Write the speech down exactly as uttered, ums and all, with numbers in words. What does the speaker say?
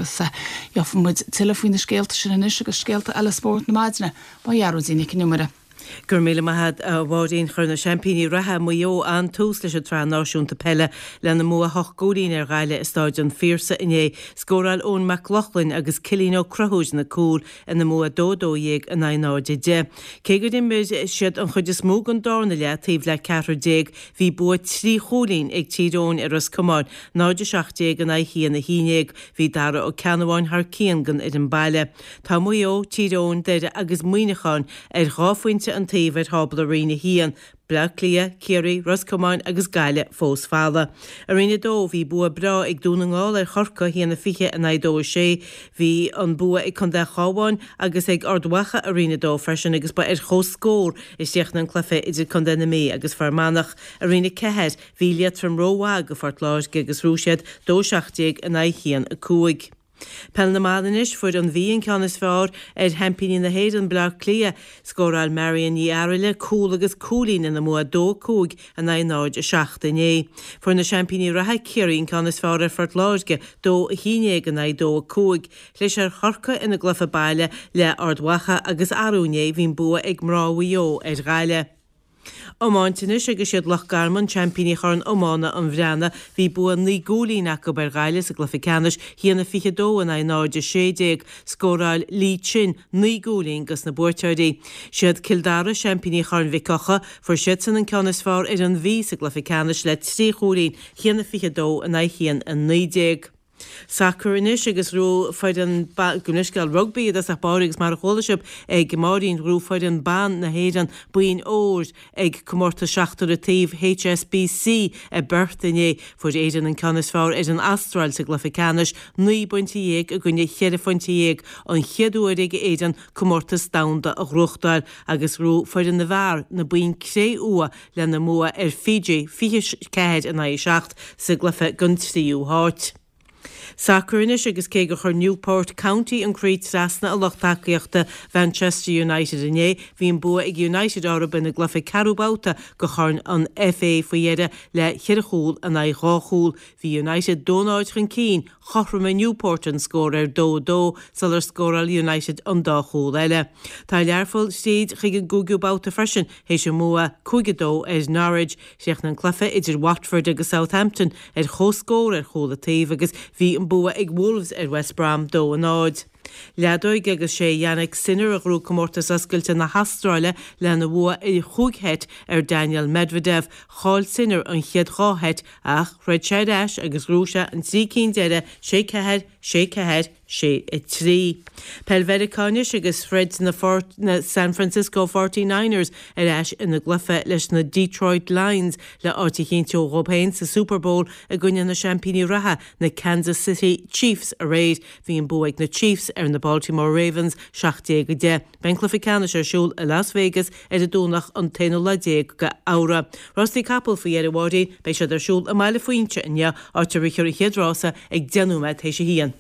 agus gheobhaidh muid tuilleadh faoi na scéalta sin anois agus scéalta eile spóirt na maidine ó Ghearóidín Nic an Iomaire. Gur míle maith a Mháirín chuir na seaimpíní reatha Maigh Eo an-tús leis an tsraith náisiúnta peile lena mbua ocht gcúilín ar Ghaillimh i Staid an Phiarsaigh inné. Scóráil Eoin Mac Lochlainn agus Cillian Ó Conchúir na cúil ina mbua dó dó dhéag in aghaidh náid a deich. Cé gur imir siad an chuid is mó den darna leath taobh le ceathrar déag bhí bua trí chúilín ag Tír Eoghain ar Ros Comáin, náid a seacht déag in aghaidh haon a haon déag. Bhí Dara Ó Ceannabháin thar cionn don fhoireann baile. Tá Maigh Eo, Tír Eoghain, Doire agus Muineachán ar dhá phointe an taobh ar thábla Roinn a haon, Bleá Cliath, Ciarraí, Ros Comáin agus Gaillimh fós folamh. I Roinn a dó bhí bua breá ag Dún na nGall ar Chorcaigh haon a fiche in aghaidh dó a sé. Bhí an bua ag Contae an Chabháin agus ag Ard Mhacha i Roinn a dó freisin agus ba ar chomhscór a chríochnaigh an cluiche idir Contae na Mí agus Fear Manach. I Roinn a ceathair bhí Liatroim rómhaith do Phort Láirge agus ghnóthaigh siad dó seacht déag in aghaidh haon a cúig. Peil na mban anois fuair an Mhí an ceann is fearr ar sheaimpíní na hÉireann Bleá Cliath, scóráil Marion Ní Fhearghaile cúl agus cúilín ina mbua dó cúig in aghaidh náid a seacht inné. Fuair na seaimpíní reatha Ciarraí an ceann is fearr ar Phort Láirge dó a haon déag in aghaidh dó a cúig. Chlis ar Chorcaigh ina gcluiche baile le Ard Mhacha agus arú inné bhí an bua ag mná Mhaigh Eo ar Ghaillimh. Iomáint anois agus siad Loch Garman seaimpíní Chorn Iomána an Bhreathnaigh bhí bua naoi gcúilín acu ar Ghaillimh sa gcluiche ceannais haon a fiche dó in aghaidh náid a sé déag, scóráil Lee Chin naoi gcúilín dos na buaiteoirí. Siad Cill Dara seaimpíní Chorn Mhic Eocha, fuair siadsan an ceann is fearr ar an Mhí sa gcluiche ceannais le trí chúilín haon a fiche dó in aghaidh haon a naoi déag. Sacar anois agus ghnóthaigh foireann gabh mo leithscéal rugbaí i dtosach báire agus mar a chuala sibh ag Máirín ghnóthaigh foireann ban na hÉireann boinn óir ag comórtas seachtar an taobh HSBC i bPerth inné. Fuair Éirinn an ceann is fearr ar an Astráil sa gcluiche ceannais, naoi bpointe dhéag i gcoinne cheithre phointe dhéag, an chéad uair ag Éirinn comórtas domhanda a ghnóthachtáil agus ghnóthaigh foireann na bhfear na boinn cré-umha lena mbua ar Fiji fiche ceathair in aghaidh a seacht sa gcluiche don tríú háit. Sacar anois agus cé gur chuir Newport County an croí trasna a lucht tacaíochta Manchester United inné, bhí an bua ag United orthu ina gcluiche ceathrú babhta de Chorn an FA faoi dheireadh le ceithre chúl in aghaidh dhá chúl. Bhí United dó náid chun cinn, chothromaigh Newport an scór ar dó dó sular scóráil United an dá chúl eile. Tá Learpholl tríd chuig an gcúigiú babhta freisin théis a mbua cúig a dó ar Norwich. Chríochnaigh an cluiche idir Watford agus Southampton ar chomhscór ar chúl an taobh agus bhí an bua ag Wolves ar West Brom dó a náid. Leadóg agus sé Jannik Sinner a ghnóthaigh comórtas oscailte na hAstráile lena bhua i chúig sheit ar Daniel Medvedev, chaill Sinner an chéad dhá sheit ach throid sé ar ais agus ghnóthaigh sé an trí cinn deiridh sé ceathair, sé ceathair, sé a trí. Peil Mheiriceá anois agus throid na, na San Francisco Forty Niners ar ais ina gcluiche leis na Detroit Lions le áit a chinntiú dóibh féin sa Super Bowl i gcoinne na seaimpíní reatha na Kansas City Chiefs aréir. Bhí an bua ag na Chiefs ar na Baltimore Ravens seacht déag a deich. Beidh an cluiche ceannais ar siúl i Las Vegas ar an Domhnach an t-aonú lá déag de Fheabhra. Rásaí capall faoi dheireadh Mháirín, beidh siad ar siúl i mBaile Phuinse inniu, áit a rithfear an chéad rása ag deich nóiméad théis a haon.